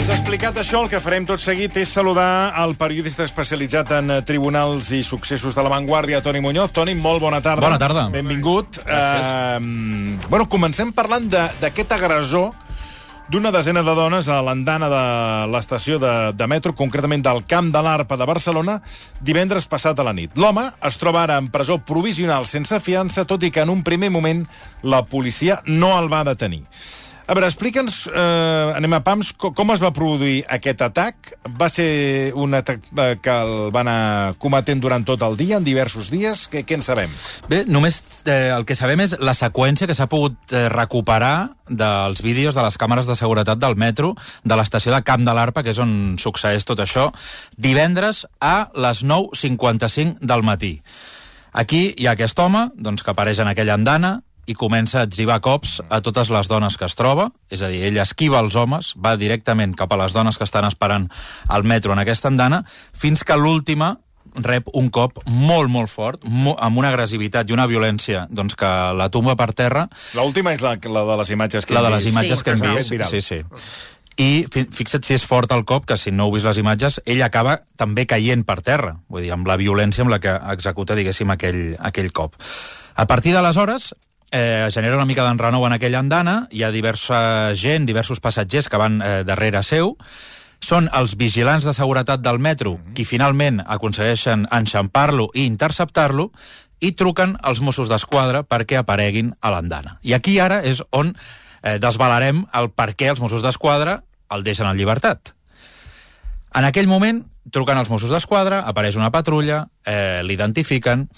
Doncs explicat això, el que farem tot seguit és saludar el periodista especialitzat en tribunals i successos de La Vanguardia, Toni Muñoz. Toni, molt bona tarda. Bona tarda. Benvingut. Gràcies. Bueno, comencem parlant d'aquest agressor d'una desena de dones a l'andana de l'estació de metro, concretament del Camp de l'Arpa de Barcelona, divendres passat a la nit. L'home es troba ara en presó provisional sense fiança, tot i que en un primer moment la policia no el va detenir. A veure, explica'ns, anem a pams, com es va produir aquest atac? Va ser un atac que el van anar cometent durant tot el dia, en diversos dies? Què en sabem? Bé, només el que sabem és la seqüència que s'ha pogut recuperar dels vídeos de les càmeres de seguretat del metro de l'estació de Camp de l'Arpa, que és on succeeix tot això, divendres a les 9:55 del matí. Aquí hi ha aquest home, doncs, que apareix en aquella andana i comença a etzibar cops a totes les dones que es troba, és a dir, ell esquiva els homes, va directament cap a les dones que estan esperant al metro en aquesta andana, fins que l'última rep un cop molt, molt fort, amb una agressivitat i una violència doncs, que la tomba per terra. L'última és la de les imatges que hem vist. La de les imatges que hem vist, sí. I fixa't si és fort el cop, que si no heu vist les imatges, ell acaba també caient per terra, vull dir, amb la violència amb la que executa, diguéssim, aquell cop. A partir d'aleshores, genera una mica d'enrenou en aquella andana, hi ha diversa gent, diversos passatgers que van darrere seu, són els vigilants de seguretat del metro qui finalment aconsegueixen enxampar-lo i interceptar-lo i truquen als Mossos d'Esquadra perquè apareguin a l'andana. I aquí ara és on desvelarem el per què els Mossos d'Esquadra el deixen en llibertat. En aquell moment truquen als Mossos d'Esquadra, apareix una patrulla, l'identifiquen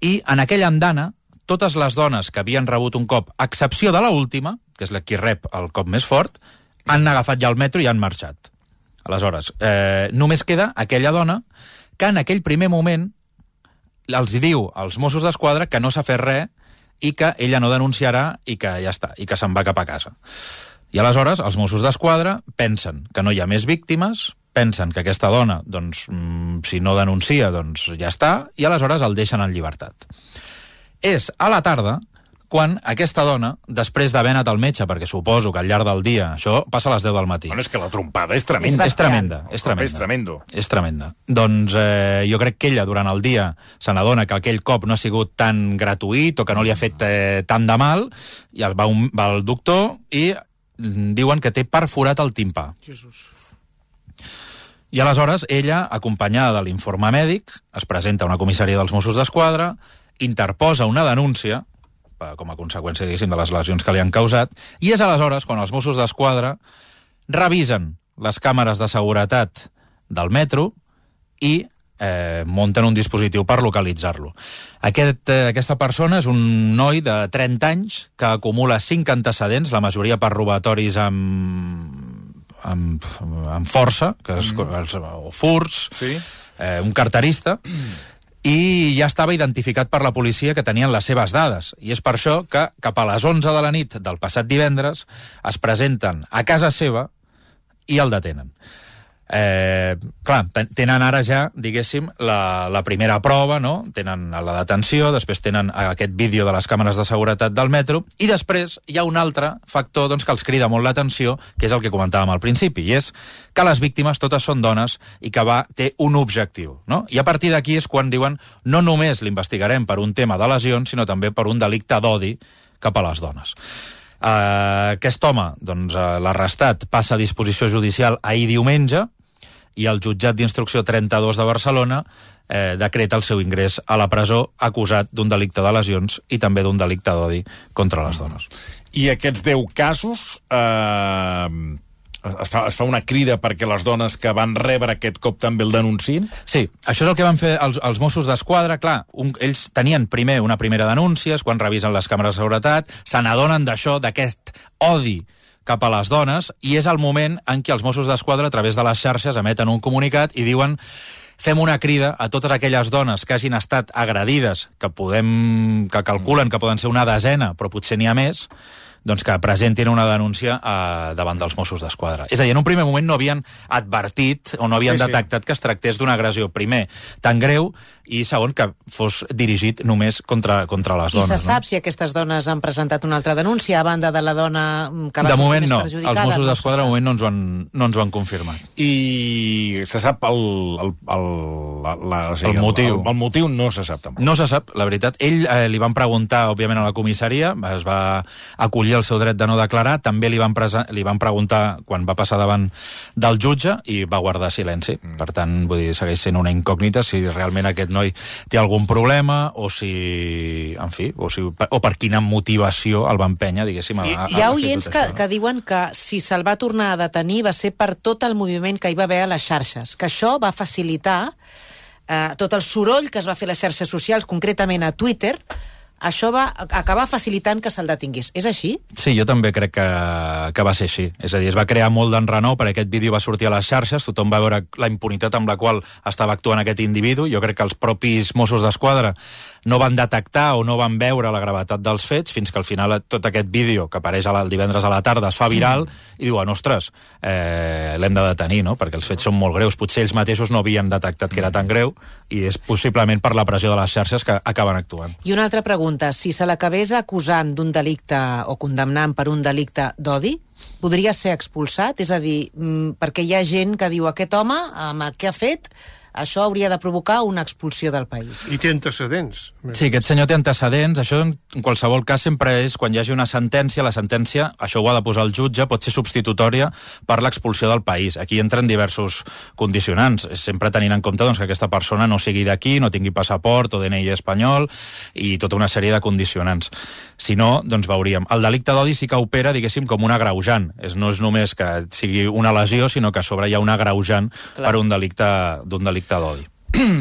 i en aquella andana totes les dones que havien rebut un cop, a excepció de l'última, que és la qui rep el cop més fort, han agafat ja el metro i han marxat. Aleshores, només queda aquella dona que en aquell primer moment els diu als Mossos d'Esquadra que no s'ha fet res i que ella no denunciarà i que ja està, i que se'n va cap a casa. I aleshores els Mossos d'Esquadra pensen que no hi ha més víctimes, pensen que aquesta dona, doncs, si no denuncia, doncs ja està, i aleshores el deixen en llibertat. És a la tarda quan aquesta dona, després d'haver anat al metge, perquè suposo que al llarg del dia, això passa a les 10 del matí. Bueno, és que la trompada és tremenda. És tremenda. Doncs jo crec que ella, durant el dia, se n'adona que aquell cop no ha sigut tan gratuït o que no li ha fet tant de mal, i va al doctor i diuen que té perforat el timpà. Jesús. I aleshores ella, acompanyada de l'informe mèdic, es presenta a una comissaria dels Mossos d'Esquadra, interposa una denúncia, com a conseqüència, diguéssim, de les lesions que li han causat, i és aleshores quan els Mossos d'Esquadra revisen les càmeres de seguretat del metro i munten un dispositiu per localitzar-lo. Aquesta persona és un noi de 30 anys que acumula 5 antecedents, la majoria per robatoris amb força, o furts, sí. Un carterista, i ja estava identificat per la policia que tenien les seves dades. I és per això que cap a les 11 de la nit del passat divendres es presenten a casa seva i el detenen. Clar, tenen ara ja, diguéssim, la primera prova, no? Tenen la detenció, després tenen aquest vídeo de les càmeres de seguretat del metro, i després hi ha un altre factor doncs, que els crida molt l'atenció, que és el que comentàvem al principi, i és que les víctimes totes són dones i que té un objectiu, no? I a partir d'aquí és quan diuen no només l'investigarem per un tema de lesions, sinó també per un delicte d'odi cap a les dones. Aquest home, doncs, l'arrestat, passa a disposició judicial ahir diumenge, i el jutjat d'instrucció 32 de Barcelona decreta el seu ingrés a la presó acusat d'un delicte de lesions i també d'un delicte d'odi contra les dones. I aquests 10 casos es fa una crida perquè les dones que van rebre aquest cop també el denunciïn? Sí, això és el que van fer els Mossos d'Esquadra. Clar, ells tenien primer una primera denúncia, quan revisen les càmeres de seguretat, se n'adonen d'això, d'aquest odi cap a les dones, i és el moment en què els Mossos d'Esquadra, a través de les xarxes, emeten un comunicat i diuen fem una crida a totes aquelles dones que hagin estat agredides, que calculen que poden ser una desena, però potser n'hi ha més, doncs que presentin una denúncia davant dels Mossos d'Esquadra. És a dir, en un primer moment no havien advertit o no havien detectat que es tractés d'una agressió, primer, tan greu, i segon, que fos dirigit només contra les dones. I se sap si aquestes dones han presentat una altra denúncia a banda de la dona que va sortir més perjudicada? Els Mossos d'Esquadra de moment no ens ho han confirmat. I se sap el motiu? El motiu no se sap tampoc. No se sap, la veritat. Ell li van preguntar, òbviament, a la comissaria, es va acollir el seu dret de no declarar, també li van preguntar quan va passar davant del jutge i va guardar silenci. Per tant, vull dir, segueix sent una incògnita si realment aquest noi té algun problema o si, en fi, o per quina motivació el va empènyer, diguéssim, Hi ha oients que diuen que si se'l va tornar a detenir va ser per tot el moviment que hi va haver a les xarxes, que això va facilitar tot el soroll que es va fer a les xarxes socials, concretament a Twitter. Això va acabar facilitant que se'l detingués. És així? Sí, jo també crec que va ser així. És a dir, es va crear molt d'enrenou perquè aquest vídeo va sortir a les xarxes, tothom va veure la impunitat amb la qual estava actuant aquest individu. Jo crec que els propis Mossos d'Esquadra no van detectar o no van veure la gravetat dels fets fins que al final tot aquest vídeo que apareix el divendres a la tarda es fa viral i diuen, ostres, l'hem de detenir, no? Perquè els fets són molt greus. Potser ells mateixos no havien detectat que era tan greu i és possiblement per la pressió de les xarxes que acaben actuant. I una altra pregunta, si se l'acabés acusant d'un delicte o condemnant per un delicte d'odi, podria ser expulsat? És a dir, perquè hi ha gent que diu aquest home, amb el que ha fet, això hauria de provocar una expulsió del país. I té antecedents. Sí, aquest senyor té antecedents. Això, en qualsevol cas, sempre és quan hi hagi una sentència. La sentència, això ho ha de posar el jutge, pot ser substitutòria per l'expulsió del país. Aquí entren diversos condicionants. Sempre tenint en compte doncs, que aquesta persona no sigui d'aquí, no tingui passaport o DNI espanyol i tota una sèrie de condicionants. Si no, doncs veuríem. El delicte d'odi sí que opera, diguéssim, com un agreujant. No és només que sigui una lesió, sinó que a sobre hi ha un agreujant per un delicte d'odi.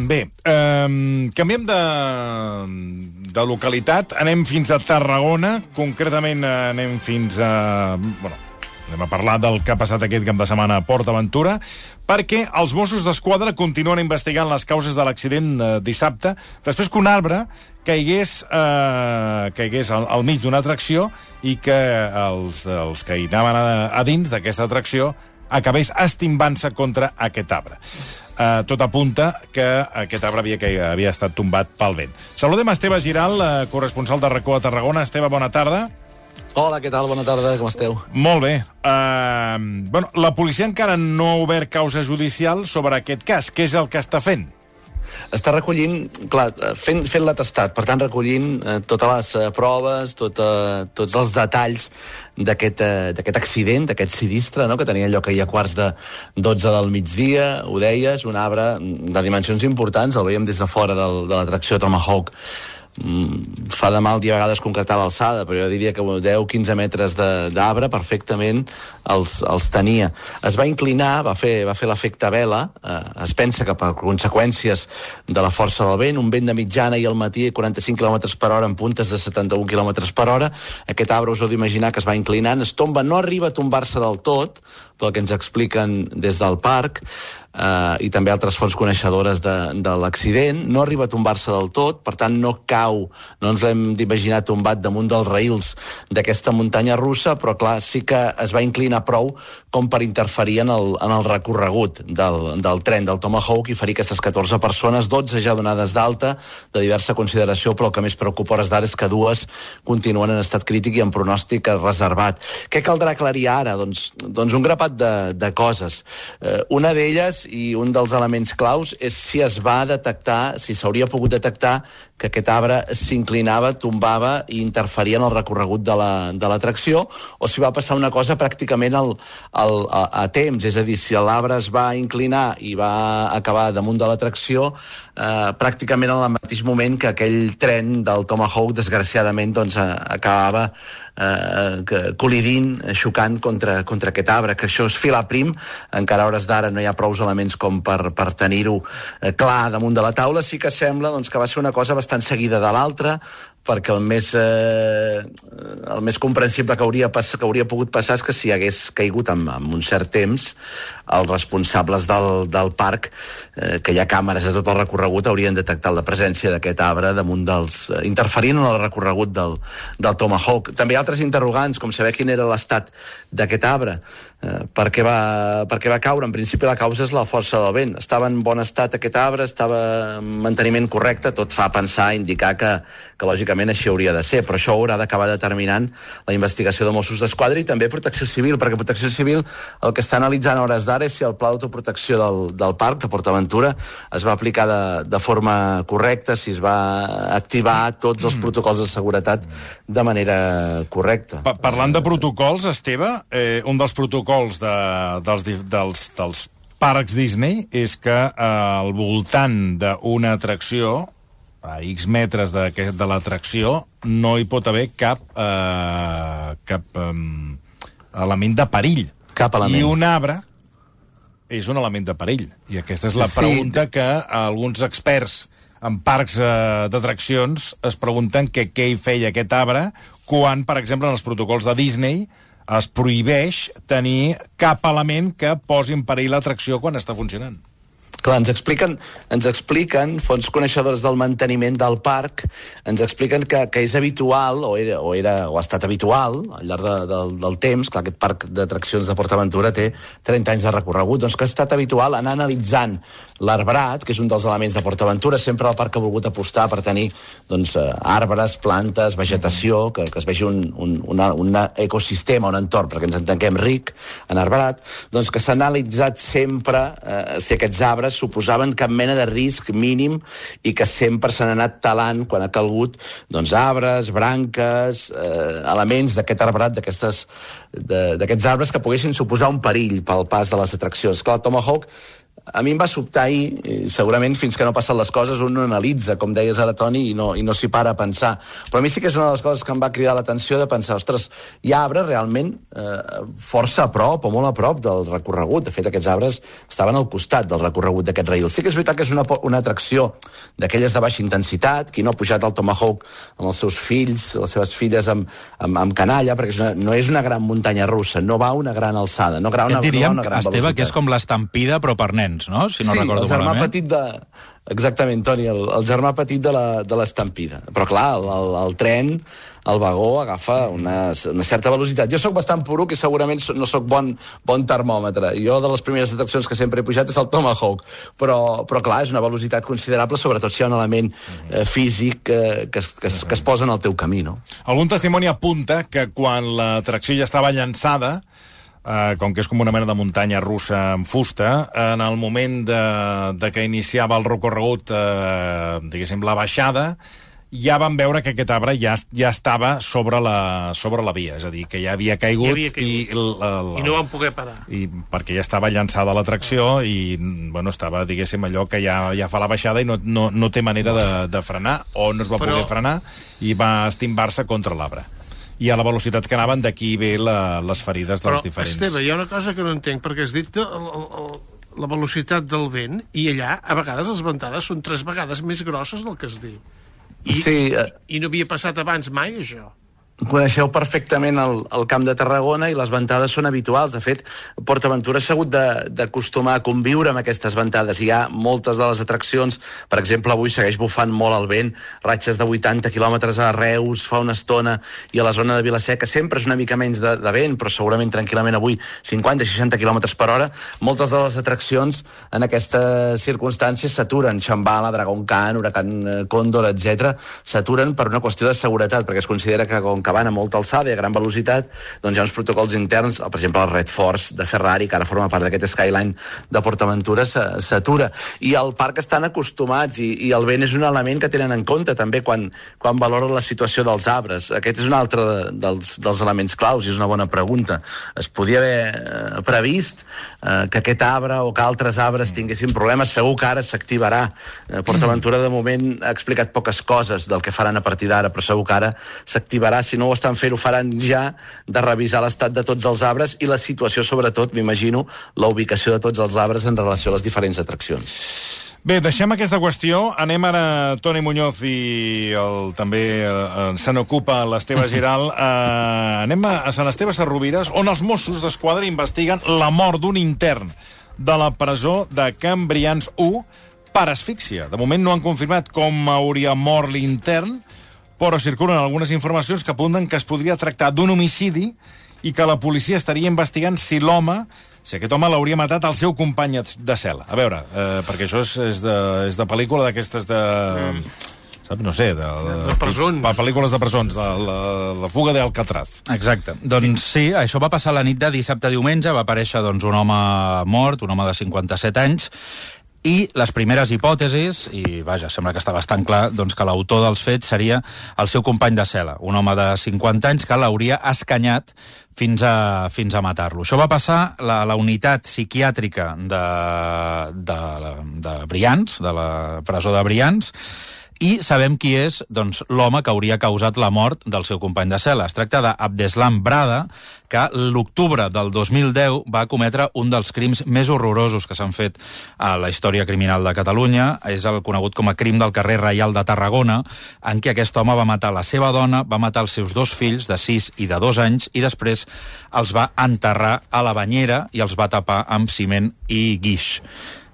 Bé, canviem de localitat, anem fins a Tarragona, concretament anem fins a... anem a parlar del que ha passat aquest cap de setmana a Port Aventura, perquè els Mossos d'Esquadra continuen investigant les causes de l'accident dissabte, després que un arbre caigués al mig d'una atracció i que els que hi anaven a dins d'aquesta atracció acabés estimbant-se contra aquest arbre. Tot apunta que aquest arbre havia estat tombat pel vent. Saludem a Esteve Giral, corresponsal de RAC1 a Tarragona. Esteve, bona tarda. Hola, què tal? Bona tarda, com esteu? Molt bé. La policia encara no ha obert causa judicial sobre aquest cas. Què és el que està fent? Està recollint, clar, fent l'atestat, per tant recollint totes les proves, tots els detalls d'aquest accident, d'aquest sinistre, no?, que tenia lloc ahir a 11:45 del migdia, ho deies, un arbre de dimensions importants, el veiem des de fora de l'atracció Tomahawk. Fa de mal dir a vegades concretar l'alçada, però jo diria que 10-15 metres d'arbre perfectament els tenia. Es va inclinar, va fer l'efecte vela, es pensa que per conseqüències de la força del vent, un vent de mitjana i al matí 45 km per hora en puntes de 71 km per hora, aquest arbre us heu d'imaginar que es va inclinant, es tomba, no arriba a tombar-se del tot, pel que ens expliquen des del parc, i també altres fonts coneixedores de l'accident, no arriba a tombar-se del tot, per tant no cau, no ens l'hem d'imaginar tombat damunt dels raïls d'aquesta muntanya russa, però clar, sí que es va inclinar prou com per interferir en el recorregut del tren del Tomahawk i ferir aquestes 14 persones, 12 ja donades d'alta, de diversa consideració, però el que més preocupa a hores d'ara és que 2 continuen en estat crític i en pronòstic reservat. Què caldrà aclarir ara? Doncs un grapat de coses. Una d'elles, i un dels elements claus, és si es va detectar, si s'hauria pogut detectar que aquest arbre s'inclinava, tombava i interferia en el recorregut de l'atracció, o si va passar una cosa pràcticament a temps, és a dir, si l'arbre es va inclinar i va acabar damunt de l'atracció, pràcticament en el mateix moment que aquell tren del Tomahawk, desgraciadament, doncs, acabava col·lidint, xocant contra aquest arbre, que això és filar prim, encara a hores d'ara no hi ha prous elements com per tenir-ho clar damunt de la taula. Sí que sembla doncs, que va ser una cosa bastant seguida de l'altra, perquè el més comprensible que hauria pogut passar és que si hagués caigut amb un cert temps, els responsables del parc, que hi ha càmeres a tot el recorregut, haurien detectat la presència d'aquest arbre damunt interferint en el recorregut del Tomahawk. També hi ha altres interrogants, com saber quin era l'estat d'aquest arbre, per què va caure. En principi la causa és la força del vent. Estava en bon estat aquest arbre, estava en manteniment correcte, tot fa pensar, indicar que lògicament així hauria de ser, però això haurà d'acabar determinant la investigació de Mossos d'Esquadra i també Protecció Civil, perquè Protecció Civil el que està analitzant a hores d'ara és si el pla d'autoprotecció del parc de PortAventura es va aplicar de forma correcta, si es va activar tots els protocols de seguretat de manera correcta. Parlant de protocols, Esteve, un dels protocols dels parcs Disney és que al voltant d'una atracció, a X metres de l'atracció, no hi pot haver cap element de perill. Cap element. I un arbre és un element de perill. I aquesta és la pregunta que alguns experts en parcs d'atraccions es pregunten què hi feia aquest arbre quan, per exemple, en els protocols de Disney es prohibeix tenir cap element que posi en perill l'atracció quan està funcionant. Clar, ens expliquen, fons coneixedors del manteniment del parc, ens expliquen que és habitual, o ha estat habitual, al llarg del temps, clar, aquest parc d'atraccions de PortAventura té 30 anys de recorregut, doncs que ha estat habitual anar analitzant l'arbrat, que és un dels elements de PortAventura. Sempre el parc ha volgut apostar per tenir arbres, plantes, vegetació, que es vegi un ecosistema, un entorn, perquè ens entenguem ric en arbrat, doncs que s'ha analitzat sempre si aquests arbres suposaven cap mena de risc mínim i que sempre s'han anat talant quan ha calgut arbres, branques, elements d'aquest arbrat, d'aquests arbres que poguessin suposar un perill pel pas de les atraccions. Clar, el Tomahawk a mi em va sobtar ahir, segurament fins que no passen les coses un no analitza, com deies ara, Toni, i no s'hi para a pensar. Però a mi sí que és una de les coses que em va cridar l'atenció de pensar, ostres, hi ha arbres realment força a prop o molt a prop del recorregut. De fet, aquests arbres estaven al costat del recorregut d'aquest rail. Sí que és veritat que és una atracció d'aquelles de baixa intensitat. Qui no ha pujat al Tomahawk amb els seus fills, les seves filles amb canalla, perquè no és una gran muntanya russa, no va a una gran alçada, no va a una gran velocitat. Esteve, que és com l'estampida, però per nens, no? Si no recordo el germà malament. petit Exactament, Toni, el germà petit de l'estampida. Però clar, el tren, el vagó, agafa una certa velocitat. Jo sóc bastant poruc i segurament no sóc bon termòmetre. Jo, de les primeres atraccions que sempre he pujat és el Tomahawk. Però clar, és una velocitat considerable, sobretot si hi ha un element físic que es posa en el teu camí, no? Algun testimoni apunta que quan l'atracció ja estava llançada, com que és com una mena de muntanya russa en fusta, en el moment de que iniciava el recorregut, diguéssim, la baixada, ja van veure que aquest arbre ja estava sobre la via, és a dir, que ja havia caigut, i no van poder parar. I perquè ja estava llançada l'atracció i, bueno, estava, diguéssim, allò que ja fa la baixada i no té manera de frenar, o no es va poder frenar i va estimbar-se contra l'arbre. I a la velocitat que anaven, d'aquí ve les ferides dels diferents. Però, Esteve, hi ha una cosa que no entenc, perquè has dit la velocitat del vent, i allà, a vegades, les ventades són 3 vegades més grosses del que es diu. I no havia passat abans mai, això. Coneixeu perfectament el Camp de Tarragona i les ventades són habituals. De fet, PortAventura s'ha hagut d'acostumar a conviure amb aquestes ventades. Hi ha moltes de les atraccions, per exemple, avui segueix bufant molt el vent, ratxes de 80 quilòmetres a Reus fa una estona, i a la zona de Vilaseca sempre és una mica menys de vent, però segurament tranquil·lament avui 50-60 quilòmetres per hora. Moltes de les atraccions en aquestes circumstàncies s'aturen. Shambhala, Dragon Khan, Huracan Cóndor, etc. s'aturen per una qüestió de seguretat, perquè es considera que com que van a molta alçada i a gran velocitat, doncs hi ha uns protocols interns, per exemple el Red Force de Ferrari, que ara forma part d'aquest Skyline de PortAventura, s'atura. I al parc estan acostumats, i el vent és un element que tenen en compte també quan valoren la situació dels arbres. Aquest és un altre dels elements claus, i és una bona pregunta. Es podia haver previst que aquest arbre o que altres arbres tinguessin problemes. Segur que ara s'activarà. PortAventura de moment ha explicat poques coses del que faran a partir d'ara, però segur que ara s'activarà. Si no ho estan fent, ho faran ja, de revisar l'estat de tots els arbres i la situació, sobretot, m'imagino, la ubicació de tots els arbres en relació a les diferents atraccions. Bé, deixem aquesta qüestió. Anem ara, Toni Muñoz i també se n'ocupa l'Esteve Giral. Anem a Sant Esteve Sesrovires, on els Mossos d'Esquadra investiguen la mort d'un intern de la presó de Can Brians 1 per asfíxia. De moment no han confirmat com hauria mort l'intern, però circulen algunes informacions que apunten que es podria tractar d'un homicidi i que la policia estaria investigant si aquest home l'hauria matat al seu company de cel·la. A veure, perquè això és de pel·lícula d'aquestes de... No sé, de presons. Pel·lícules de presons, de la fuga d'Alcatraz. Exacte. Doncs sí, això va passar la nit de dissabte a diumenge, va aparèixer un home mort, un home de 57 anys, i les primeres hipòtesis, i vaja, sembla que està bastant clar, doncs que l'autor dels fets seria el seu company de cel·la, un home de 50 anys que l'hauria escanyat fins a matar-lo. Això va passar a la unitat psiquiàtrica de Brians, de la presó de Brians, i sabem qui és l'home que hauria causat la mort del seu company de cel·la. Es tracta d'Abdeslam Brada, que l'octubre del 2010 va cometre un dels crims més horrorosos que s'han fet a la història criminal de Catalunya. És el conegut com a crim del carrer Reial de Tarragona, en què aquest home va matar la seva dona, va matar els seus 2 fills, de 6 i de 2 anys, i després els va enterrar a la banyera i els va tapar amb ciment i guix.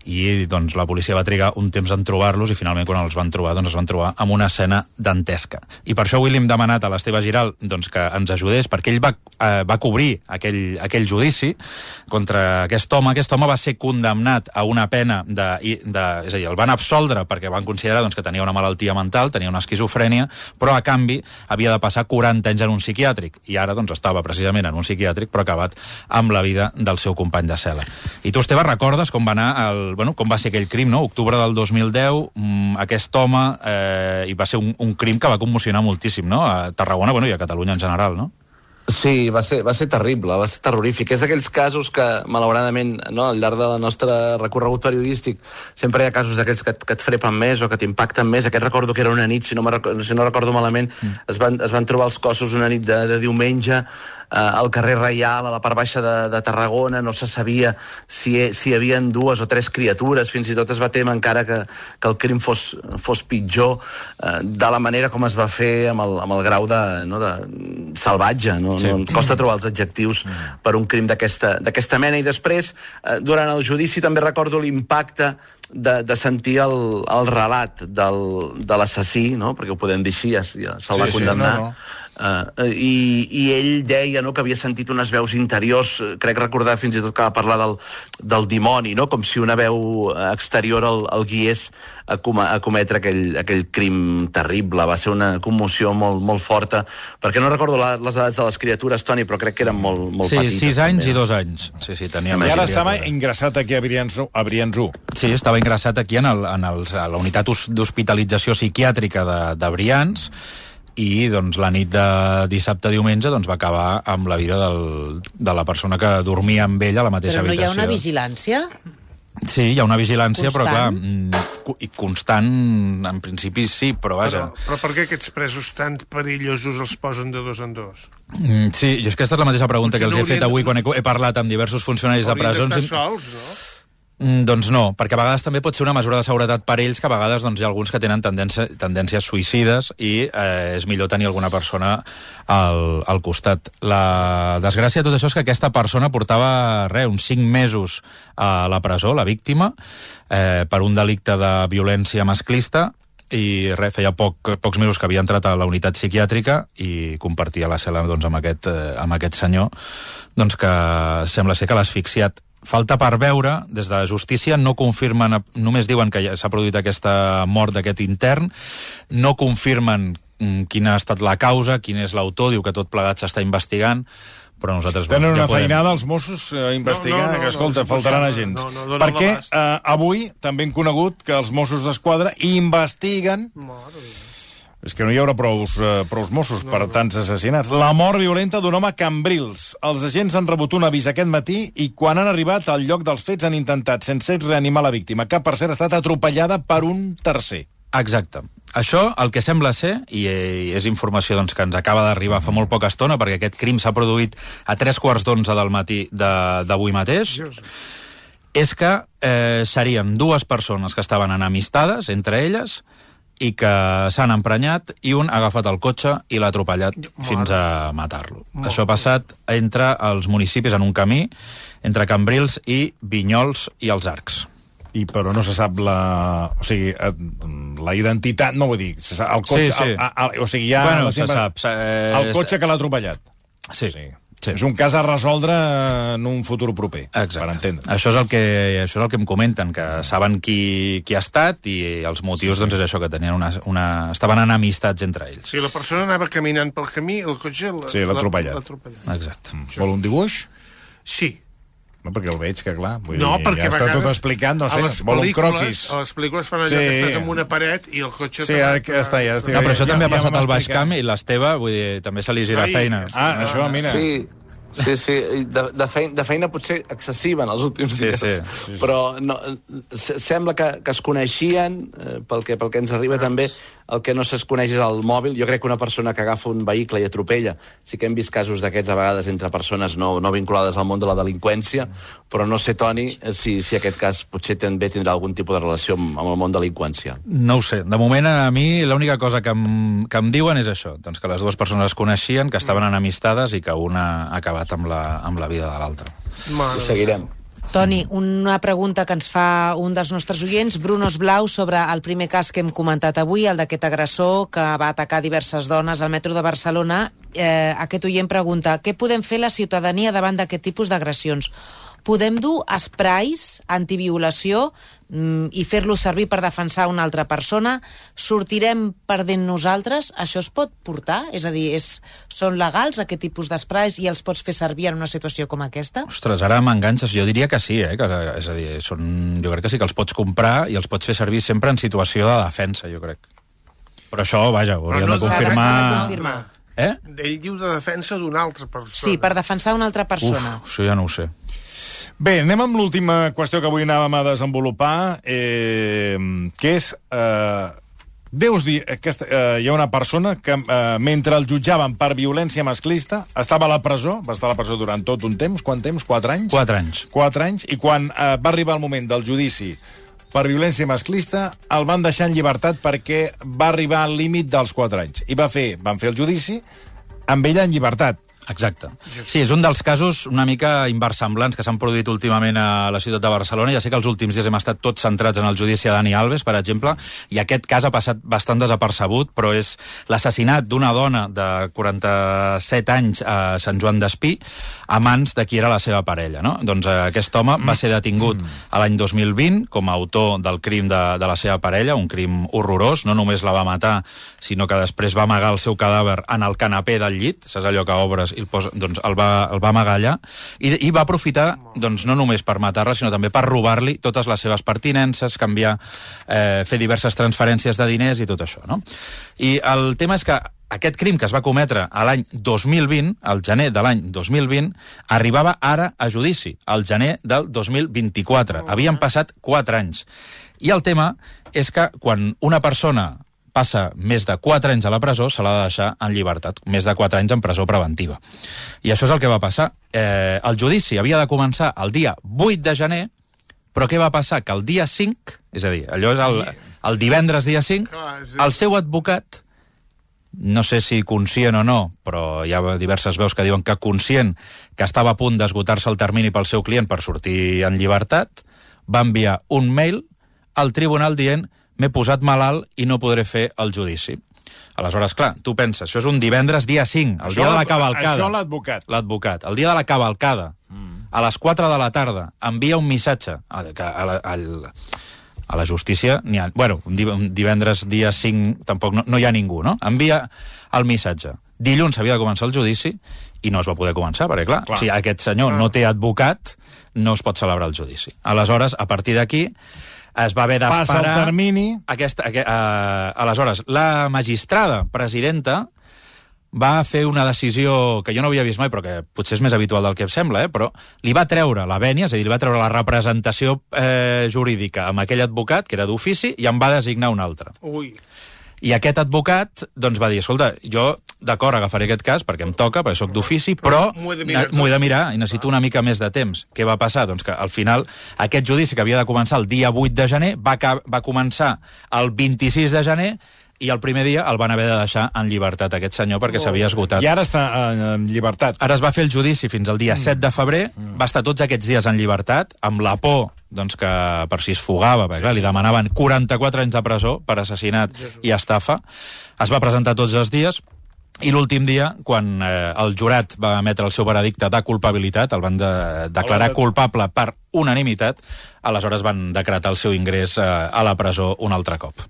I doncs la policia va trigar un temps en trobar-los i finalment quan els van trobar es van trobar amb una escena dantesca. I per això avui li hem demanat a l'Esteve Giral que ens ajudés, perquè ell va cobrir aquell judici contra aquest home. Aquest home va ser condemnat a una pena és a dir, el van absoldre perquè van considerar que tenia una malaltia mental, tenia una esquizofrènia, però a canvi havia de passar 40 anys en un psiquiàtric, i ara estava precisament en un psiquiàtric però acabat amb la vida del seu company de cel·la. I tu, Esteve, recordes com va anar com va ser aquell crim, no? Octubre del 2010, aquest home, i va ser un crim que va commocionar moltíssim, no? A Tarragona, i a Catalunya en general, no? Sí, va ser terrible, va ser terrorífic. És d'aquells casos que, malauradament, al llarg del nostre recorregut periodístic, sempre hi ha casos d'aquells que et frepen més o que t'impacten més. Aquest recordo que era una nit, si no recordo malament, es van trobar els cossos una nit de diumenge al carrer Reial, a la part baixa de Tarragona. No se sabia si hi havia 2 o 3 criatures, fins i tot es va témer encara que el crim fos pitjor de la manera com es va fer amb el grau de salvatge, no? Sí. No costa trobar els adjectius per un crim d'aquesta mena. I després, durant el judici, també recordo l'impacte de sentir el relat de l'assassí, no? Perquè ho podem dir així, ja se'l va condemnar. I ell deia que havia sentit unes veus interiors, crec recordar fins i tot que va parlar del dimoni, no? Com si una veu exterior el guiés a cometre aquell crim terrible. Va ser una commoció molt, molt forta, perquè no recordo les edats de les criatures, Toni, però crec que eren molt petites. Sí, 6 anys i 2 anys. Sí, tenia I ara estava ingressat aquí a Brians 1. Sí, estava ingressat aquí a la unitat d'hospitalització psiquiàtrica de Brians, i la nit de dissabte a diumenge va acabar amb la vida de la persona que dormia amb ell a la mateixa habitació. Però no hi ha una vigilància? Sí, hi ha una vigilància, constant? Però clar, i constant, en principi sí, però vaja. Però per què aquests presos tan perillosos els posen de 2 en 2? Sí, jo és que aquesta és la mateixa pregunta que els he fet avui quan he parlat amb diversos funcionaris de presons. Haurien d'estar sols, no? Doncs no, perquè a vegades també pot ser una mesura de seguretat per ells, que a vegades hi ha alguns que tenen tendències suïcides i és millor tenir alguna persona al costat. La desgràcia de tot això és que aquesta persona portava uns 5 mesos a la presó, la víctima, per un delicte de violència masclista, i feia pocs mesos que havia entrat a la unitat psiquiàtrica i compartia la cel·la amb aquest senyor, que sembla ser que l'ha asfixiat. Falta per veure, des de justícia no confirmen, només diuen que s'ha produït aquesta mort d'aquest intern, no confirmen quina ha estat la causa, quin és l'autor, diu que tot plegat s'està investigant, però nosaltres... Tenen una feinada els Mossos a investigar, que escolta, faltaran agents. Perquè avui també hem conegut que els Mossos d'Esquadra investiguen... És que no hi haurà prous Mossos per tants assassinats. La mort violenta d'un home a Cambrils. Els agents han rebut un avís aquest matí i quan han arribat al lloc dels fets han intentat, sense reanimar la víctima, que per cert ha estat atropellada per un tercer. Exacte. Això, el que sembla ser, i és informació que ens acaba d'arribar fa molt poca estona, perquè aquest crim s'ha produït a 3:15 del matí d'avui mateix, és que serien dues persones que estaven enemistades entre elles i que s'han emprenyat i un ha agafat el cotxe i l'ha atropellat fins a matar-lo. Això ha passat entre els municipis en un camí, entre Cambrils i Vinyols i els Arcs. Però no se sap la identitat, no vull dir, el cotxe... Sí. O sigui, ja... Bueno, se sap. El cotxe que l'ha atropellat. Sí. És un cas a resoldre en un futur proper, exacte, per entendre. Això és el que em comenten, que saben qui ha estat i els motius, doncs, és això, que tenien estaven enemistats entre ells. Si la persona anava caminant pel camí, el cotxe l'ha atropellat. Exacte. Vol un dibuix? Sí. No, perquè el veig, que clar... Perquè ja està tot explicat, no sé, vol un croquis. A les pel·lícules fan allò que estàs en una paret i el cotxe... Sí, ja està. No, però això també ha passat al Baix Camp i l'Esteve, vull dir, també se li gira feina. Això, mira. Sí, de feina potser excessiva en els últims dies. Sí. Però sembla que es coneixien, pel que ens arriba també, el que no es coneix és el mòbil. Jo crec que una persona que agafa un vehicle i atropella, sí que hem vist casos d'aquests a vegades entre persones no vinculades al món de la delinqüència, però no sé, Toni, si aquest cas potser també tindrà algun tipus de relació amb el món delinqüència. No ho sé. De moment, a mi, l'única cosa que em diuen és això, doncs que les dues persones es coneixien, que estaven enemistades i que una ha acabat amb la vida de l'altra. Ho seguirem. Toni, una pregunta que ens fa un dels nostres oients, Brunos Blau, sobre el primer cas que hem comentat avui, el d'aquest agressor que va atacar diverses dones al metro de Barcelona. Aquest oient pregunta, què podem fer la ciutadania davant d'aquest tipus d'agressions? Podem dur esprais antiviolació i fer-los servir per defensar una altra persona? Sortirem perdent nosaltres? Això es pot portar? És a dir, són legals aquest tipus d'esprais i els pots fer servir en una situació com aquesta? Ostres, ara m'enganxes. Jo diria que sí, és a dir, jo crec que sí que els pots comprar i els pots fer servir sempre en situació de defensa, jo crec. Però això, vaja, ho hauríem de confirmar. Ell diu de defensa d'una altra persona. Sí, per defensar una altra persona. Això ja no ho sé. Bé, anem amb l'última qüestió que avui anàvem a desenvolupar, que és... Deus dir que hi ha una persona que, mentre el jutjaven per violència masclista, estava a la presó, va estar a la presó durant tot un temps. Quant temps? 4 anys? 4 anys. 4 anys, i quan va arribar el moment del judici per violència masclista, el van deixar en llibertat perquè va arribar al límit dels 4 anys. I van fer el judici amb ella en llibertat. Exacte. Sí, és un dels casos una mica inversemblants que s'han produït últimament a la ciutat de Barcelona. Ja sé que els últims dies hem estat tots centrats en el judici a Dani Alves, per exemple, i aquest cas ha passat bastant desapercebut, però és l'assassinat d'una dona de 47 anys a Sant Joan d'Espí a mans de qui era la seva parella, no? Doncs aquest home va ser detingut a l'any 2020 com a autor del crim de la seva parella, un crim horrorós. No només la va matar, sinó que després va amagar el seu cadàver en el canapé del llit, saps allò que obres i el va amagar allà, i va aprofitar no només per matar-la, sinó també per robar-li totes les seves pertinences, fer diverses transferències de diners i tot això, no? I el tema és que aquest crim que es va cometre a l'any 2020, al gener de l'any 2020, arribava ara a judici, al gener del 2024. Havien passat 4 anys. I el tema és que quan una persona passa més de 4 anys a la presó, se l'ha de deixar en llibertat, més de 4 anys en presó preventiva. I això és el que va passar. El judici havia de començar el dia 8 de gener, però què va passar? Que el dia 5, és a dir, allò és el divendres dia 5, el seu advocat, no sé si conscient o no, però hi ha diverses veus que diuen que conscient que estava a punt d'esgotar-se el termini pel seu client per sortir en llibertat, va enviar un mail al tribunal dient m'he posat malalt i no podré fer el judici. Aleshores, clar, tu penses, això és un divendres dia 5, el dia de la cavalcada. Això l'advocat. L'advocat. El dia de la cavalcada, a les 4 de la tarda, envia un missatge a la justícia. Un divendres dia 5 tampoc no hi ha ningú, no? Envia el missatge. Dilluns havia de començar el judici i no es va poder començar, perquè, clar. Si aquest senyor no té advocat, no es pot celebrar el judici. Aleshores, a partir d'aquí, es va haver d'esperar... Passa el termini... Aleshores, la magistrada presidenta va fer una decisió que jo no havia vist mai, però que potser és més habitual del que em sembla, però li va treure la vènia, és a dir, li va treure la representació jurídica amb aquell advocat, que era d'ofici, i en va designar un altre. Ui. I aquest advocat doncs, va dir, escolta, jo d'acord agafaré aquest cas perquè em toca, perquè sóc d'ofici, però m'ho he de mirar i necessito una mica més de temps. Què va passar? Doncs que al final aquest judici que havia de començar el dia 8 de gener va començar el 26 de gener i el primer dia el van haver de deixar en llibertat, aquest senyor, perquè s'havia esgotat. I ara està en llibertat. Ara es va fer el judici fins al dia 7 de febrer, va estar tots aquests dies en llibertat, amb la por doncs, que per si es fugava, perquè clar, li demanaven 44 anys de presó per assassinat i estafa. Es va presentar tots els dies, i l'últim dia, quan el jurat va emetre el seu veredicte de culpabilitat, el van declarar culpable per unanimitat, aleshores van decretar el seu ingrés a la presó un altre cop.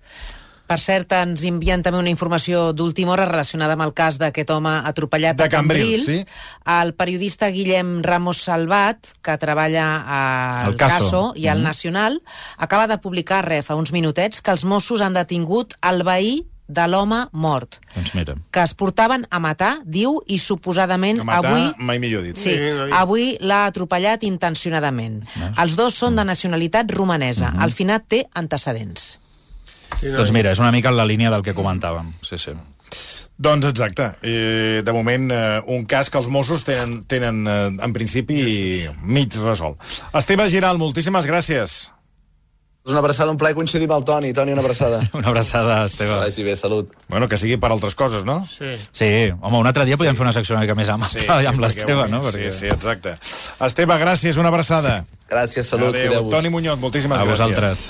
Per cert, ens envien també una informació d'última hora relacionada amb el cas d'aquest home atropellat de a Cambrils. Sí. El periodista Guillem Ramos Salvat, que treballa al Caso i al Nacional, acaba de publicar fa uns minutets que els Mossos han detingut el veí de l'home mort. Doncs mira. Que es portaven a matar, diu, i suposadament a matar, avui... mai millor dit. Sí, avui l'ha atropellat intencionadament. Els dos són de nacionalitat romanesa. El finat té antecedents. Doncs mira, és una mica en la línia del que comentàvem. Sí, sí. Doncs exacte. De moment, un cas que els Mossos tenen en principi, mig resolt. Esteve Giral, moltíssimes gràcies. Una abraçada, un plaer coincidir amb el Toni. Toni, una abraçada. Una abraçada, Esteve. Vagi bé, salut. Bueno, que sigui per altres coses, no? Sí, home, un altre dia podem fer una secció una mica més amable amb l'Esteve, no? Sí, exacte. Esteve, gràcies, una abraçada. Gràcies, salut, cuideu-vos. Toni Muñoz, moltíssimes gràcies. A vosaltres.